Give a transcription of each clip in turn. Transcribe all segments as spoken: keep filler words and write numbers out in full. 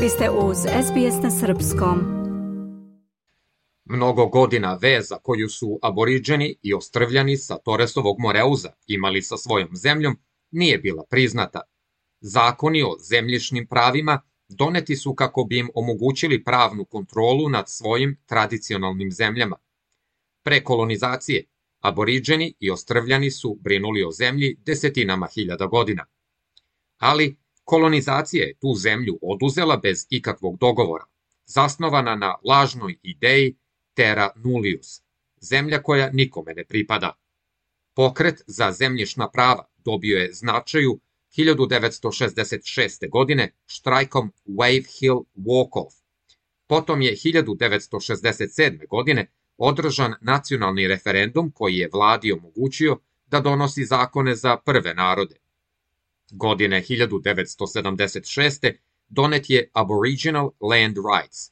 Vi ste uz S B S na srpskom. Mnogo godina veza koju su aboriđeni i ostrvljani sa Torresovog Moreuza imali sa svojom zemljom nije bila priznata. Zakoni o zemljišnim pravima doneti su kako bi im omogućili pravnu kontrolu nad svojim tradicionalnim zemljama. Pre kolonizacije, aboriđeni i ostrvljani su brinuli o zemlji desetinama hiljada godina. Ali kolonizacija je tu zemlju oduzela bez ikakvog dogovora, zasnovana na lažnoj ideji terra nullius, zemlja koja nikome ne pripada. Pokret za zemljišna prava dobio je značaju hiljadu devetsto šezdeset šeste. godine štrajkom Wave Hill Walk-off. Potom je hiljadu devetsto šezdeset sedme. godine održan nacionalni referendum koji je vladi omogućio da donosi zakone za prve narode. Godine hiljadu devetsto sedamdeset šeste. donet je Aboriginal Land Rights,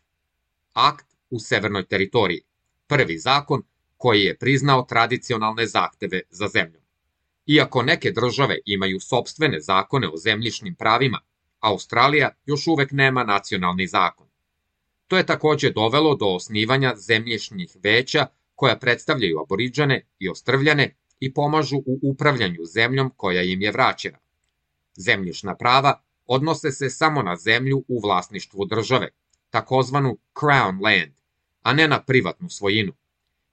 akt u Severnoj teritoriji, prvi zakon koji je priznao tradicionalne zahteve za zemljom. Iako neke države imaju sopstvene zakone o zemljišnim pravima, Australija još uvek nema nacionalni zakon. To je takođe dovelo do osnivanja zemljišnih veća koja predstavljaju aboriđane i ostrvljane i pomažu u upravljanju zemljom koja im je vraćena. Zemljišna prava odnose se samo na zemlju u vlasništvu države, takozvanu Crown Land, a ne na privatnu svojinu,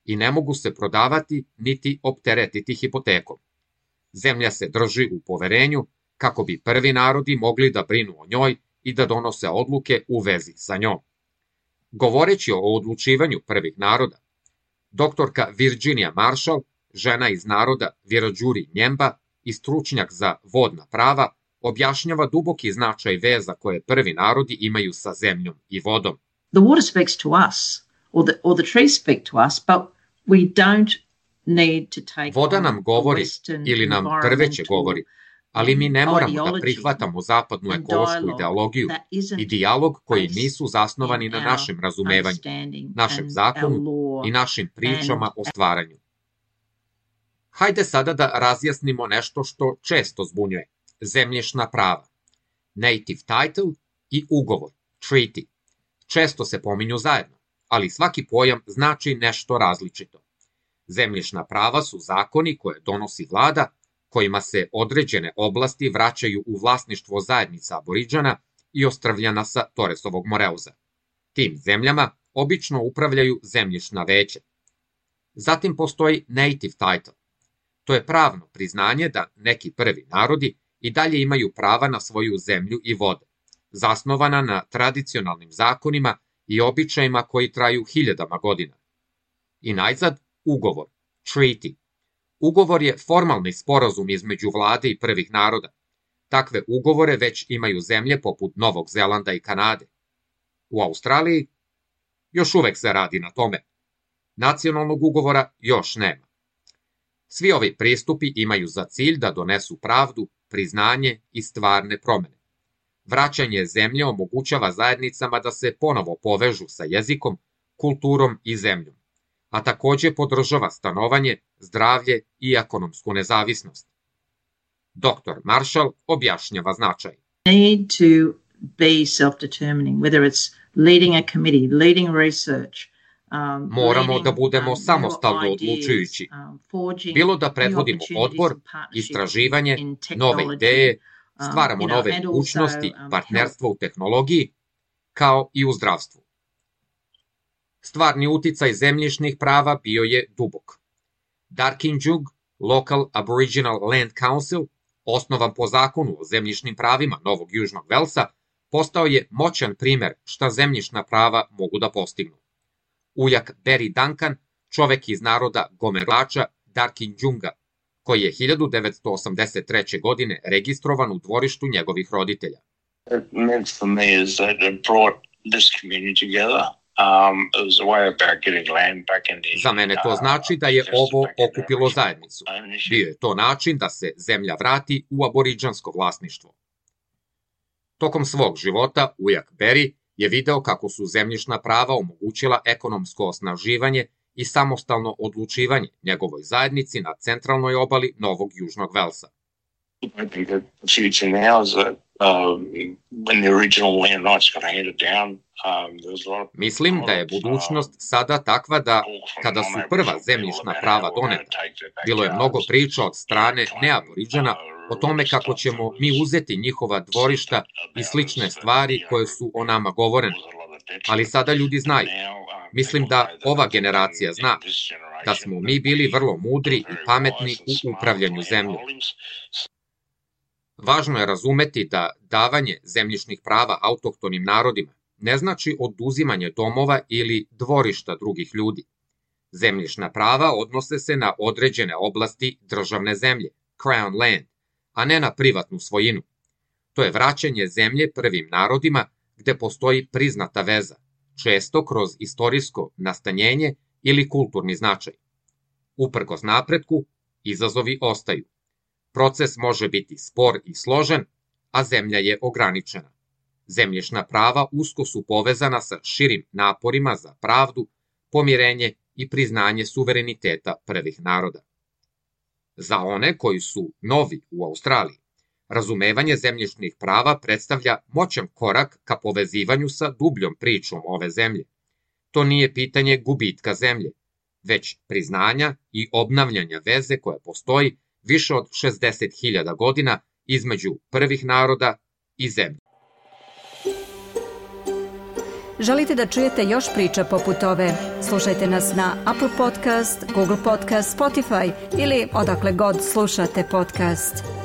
i ne mogu se prodavati niti opteretiti hipotekom. Zemlja se drži u poverenju kako bi prvi narodi mogli da brinu o njoj i da donose odluke u vezi sa njom. Govoreći o odlučivanju prvih naroda, doktorka Virginia Marshall, žena iz naroda Wiradjuri Njemba i stručnjak za vodna prava, objašnjava duboki značaj veza koje prvi narodi imaju sa zemljom i vodom. The water speaks to us, or the, or the trees speak to us, but we don't need to take Voda nam govori ili nam drveće govori, ali mi ne moramo da prihvatamo zapadnu ekološku ideologiju i dijalog koji nisu zasnovani na našem razumevanju, našem zakonu i našim pričama o stvaranju. Hajde sada da razjasnimo nešto što često zbunjuje. Zemljišna prava. Native title i ugovor, treaty. Često se pominju zajedno, ali svaki pojam znači nešto različito. Zemljišna prava su zakoni koje donosi vlada, kojima se određene oblasti vraćaju u vlasništvo zajednica aboriđana i ostrvljana sa Torresovog Moreuza. Tim zemljama obično upravljaju zemljišna veća. Zatim postoji native title. To je pravno priznanje da neki prvi narodi i dalje imaju prava na svoju zemlju i vode, zasnovana na tradicionalnim zakonima i običajima koji traju hiljadama godina. I najzad, ugovor, treaty. Ugovor je formalni sporazum između vlade i prvih naroda. Takve ugovore već imaju zemlje poput Novog Zelanda i Kanade. U Australiji još uvek se radi na tome. Nacionalnog ugovora još nema. Svi ovi pristupi imaju za cilj da donesu pravdu, priznanje i stvarne promene. Vraćanje zemlje omogućava zajednicama da se ponovo povežu sa jezikom, kulturom i zemljom, a takođe podržava stanovanje, zdravlje i ekonomsku nezavisnost. doktor Marshall objašnjava značaj. Need to be self-determining, whether it's leading a committee, leading research, um, Moramo leading, da budemo um, samostalno new odlučujući, ideas, um, forging bilo da new predvodimo opportunities odbor, and partnerships istraživanje, in nove technology, ideje, um, stvaramo you know, nove and also, mogućnosti, um, partnerstvo u tehnologiji, kao i u zdravstvu. Stvarni uticaj zemljišnih prava bio je dubok. Darkinjung Local Aboriginal Land Council, osnovan po zakonu o zemljišnim pravima Novog Južnog Velsa, postao je moćan primer šta zemljišna prava mogu da postignu. Ujak Barry Duncan, čovek iz naroda Gomerača Darkinjunga, koji je hiljadu devetsto osamdeset treće. godine registrovan u dvorištu njegovih roditelja. It meant for me is that it brought this community together. Um, it was a way about getting land back in the, Za mene to znači da je ovo okupilo zajednicu. Bio je to način da se zemlja vrati u aboriđansko vlasništvo. Tokom svog života ujak Barry je video kako su zemljišna prava omogućila ekonomsko osnaživanje i samostalno odlučivanje njegovoj zajednici na centralnoj obali Novog Južnog Velsa. I think that the future now is that um, when the original land rights got handed down, um, there was a lot of... Mislim da je budućnost sada takva da, kada su prva zemljišna prava doneta, bilo je mnogo priča od strane neaboriđana o tome kako ćemo mi uzeti njihova dvorišta i slične stvari koje su o nama govorene. Ali sada ljudi znaju. Mislim da ova generacija zna da smo mi bili vrlo mudri i pametni u upravljanju zemljom. Važno je razumeti da davanje zemljišnih prava autohtonim narodima ne znači oduzimanje domova ili dvorišta drugih ljudi. Zemljišna prava odnose se na određene oblasti državne zemlje, crown land, a ne na privatnu svojinu. To je vraćanje zemlje prvim narodima gde postoji priznata veza, često kroz istorijsko nastanjenje ili kulturni značaj. Uprkos napretku, izazovi ostaju. Proces može biti spor i složen, a zemlja je ograničena. Zemljišna prava usko su povezana sa širim naporima za pravdu, pomirenje i priznanje suvereniteta prvih naroda. Za one koji su novi u Australiji, razumevanje zemljišnih prava predstavlja moćan korak ka povezivanju sa dubljom pričom ove zemlje. To nije pitanje gubitka zemlje, već priznanja i obnavljanja veze koja postoji više od šezdeset hiljada godina između prvih naroda i zemlje. Želite da čujete još priča poput ove? Slušajte nas na Apple Podcast, Google Podcast, Spotify ili odakle god slušate podcast.